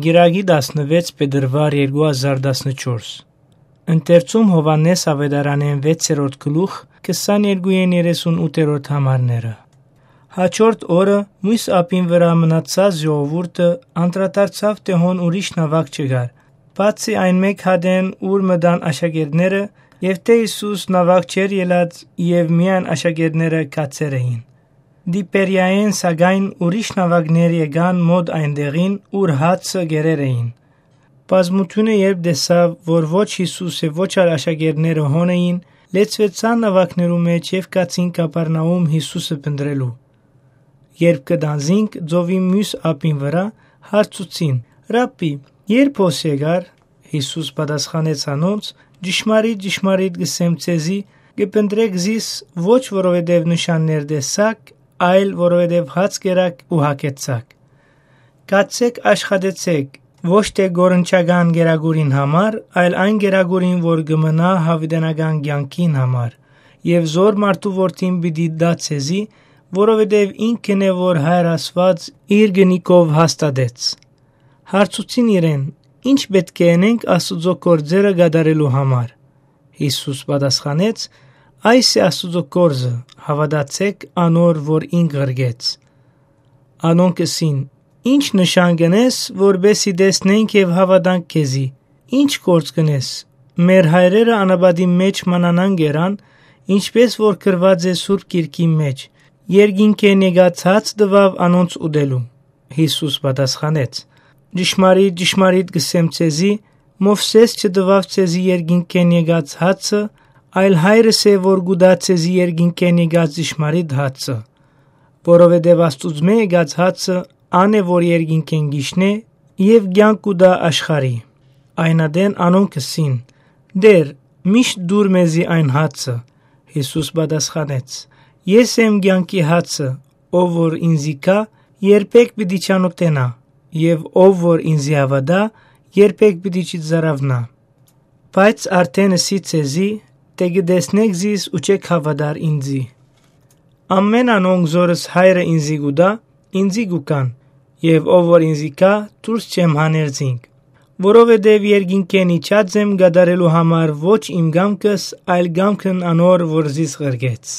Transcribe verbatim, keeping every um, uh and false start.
Գիրագի տասնվեց փետրվար երկու հազար տասնչորս Ընթերցում Հովհաննես ավետարանեն վեցերորդ գլուխ քսաներկուին երեսունութերորդ համարները Հաջորդ օրը մույս ապին վրա մնացած ժողովուրդը անդրադարձավ թե հոն ուրիշ նավակ չկար բացի այն մեկ հատեն ուր մտան աշակերտները եւ թե Հիսուս նավակ չեր ելած եւ միայն աշակերտները կացեր էին Դիպերիայեն սակայն ուրիշ նավակներ եկան մոտ այնտեղին ուր հացը գերեր էին Բազմությունը երբ տեսավ որ ոչ Հիսուսը ոչ այլ աշակերտները հոն էին լեցվեցան նավակներու մեջ եւ կացին Կապառնաում Հիսուսը փնտրելու Երբ կդանզինք ծովի մյուս ափին վրա հարցուցին Ռաբբի երբ հոս եկար Հիսուս պատասխանեց անոնց Ճշմարիտ ճշմարիտ գսեմ ցեզի կփնտրեք զիս ոչ որովհետեւ նշաններ տեսաք այլ որովհետեւ հաց կերաք ու հագեցաք Կացեք աշխատեցեք ոչ թե գորնչական գերագուրին համար այլ այն գերագուրին որ կմնա հավիտենական կյանքին համար եւ զոր մարդու որդին պիտի դա ցեզի որովհետեւ ինքն է որ Հայր Աստված իր գնիկով հաստատեց Հարցուցին իրեն ինչ պետք է անենք Աստծո գործերը կատարելու համար Հիսուս պատասխանեց Այս է Աստծո գործը հավատացեք անոր որ ինք ղրգեց Անոնք ասին Ինչ նշան կնես որբեսի տեսնենք եւ հավատանք քեզի Ինչ գործ կնես Մեր հայրերը անաբադի մեջ մանանան գերան ինչպես որ գրված է Սուրբ Գիրքի մեջ Երկինքեն եկած հաց տվավ անոնց ուտելու Հիսուս պատասխանեց Ճշմարիտ ճշմարիտ գսեմ ցեզի Մովսես չտվավ ցեզի երկինքեն եկած հացը այլ հայրս է որ գուտա ցեզի երկինքեն եկած ճշմարիտ հացը որովհետև Աստուծմե եկած հացը ան է որ երկինքեն գիշնե եւ կյանք կուտա աշխարհի այնադեն անոնք ասին Դեր միշտ դուր մեզի այն հացը Հիսուս պատասխանեց Ես եմ կյանքի հացը ով որ ինձի կա երբեք պիտի չանոթենա եւ ով որ ինձի հավատա երբեք պիտի չձարավնա Բայց արդեն ասի ցեզի թե գտեսնեք զիս ու չեք հավատար ինձի Ամեն անոնք զորս հայրը ինձի գուտա ինձի գուկան եւ ով որ ինձի կա դուրս չեմ հաներձինք որովհետեւ երկինքեն իջած եմ գդարելու համար ոչ իմ գամքս այլ գամքն անոր որ զիս ղրգեց